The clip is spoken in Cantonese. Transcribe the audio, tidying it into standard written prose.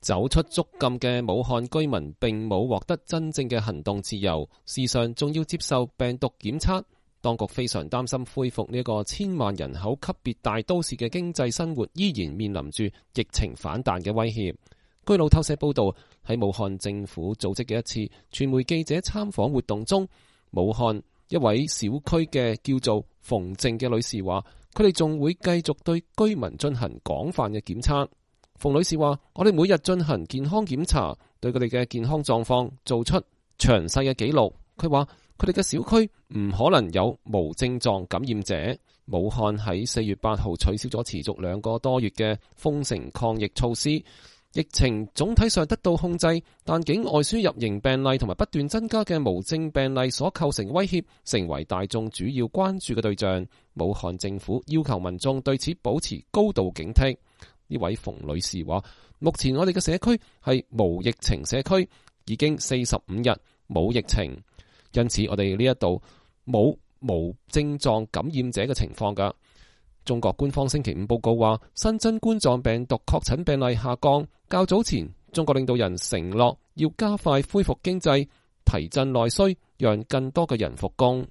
走出捉禁嘅武漢居民並冇獲得真正嘅行動自由，時常仲要接受病毒檢測。當局非常擔心恢復呢個千萬人口級別大都市嘅經濟生活依然面臨住疫情反彈嘅威脅。據路透社報道，喺武漢政府組織嘅一次傳媒記者參訪活動中，武漢一位小區嘅叫做馮靜嘅女士話，佢哋仲會繼續對居民進行廣泛嘅檢測。馮女士話，我哋每日進行健康檢查，對佢哋嘅健康狀況做出詳細嘅記錄。佢話佢哋嘅小區唔可能有無症狀感染者。武漢喺4月8號取消咗持續2個多月嘅封城抗疫措施，疫情總體上得到控制，但境外輸入型病例同埋不斷增加嘅無症病例所構成威脅，成為大眾主要關注嘅對象。武漢政府要求民眾對此保持高度警惕。呢位馮女士話，目前我哋嘅社區係無疫情社區，已經45日冇疫情，因此我哋呢一度冇無症狀感染者嘅情況㗎。中國官方星期5報告話，新增冠狀病毒確診病例下降。較早前，中國領導人承諾要加快恢復經濟，提振內需，讓更多嘅人復工。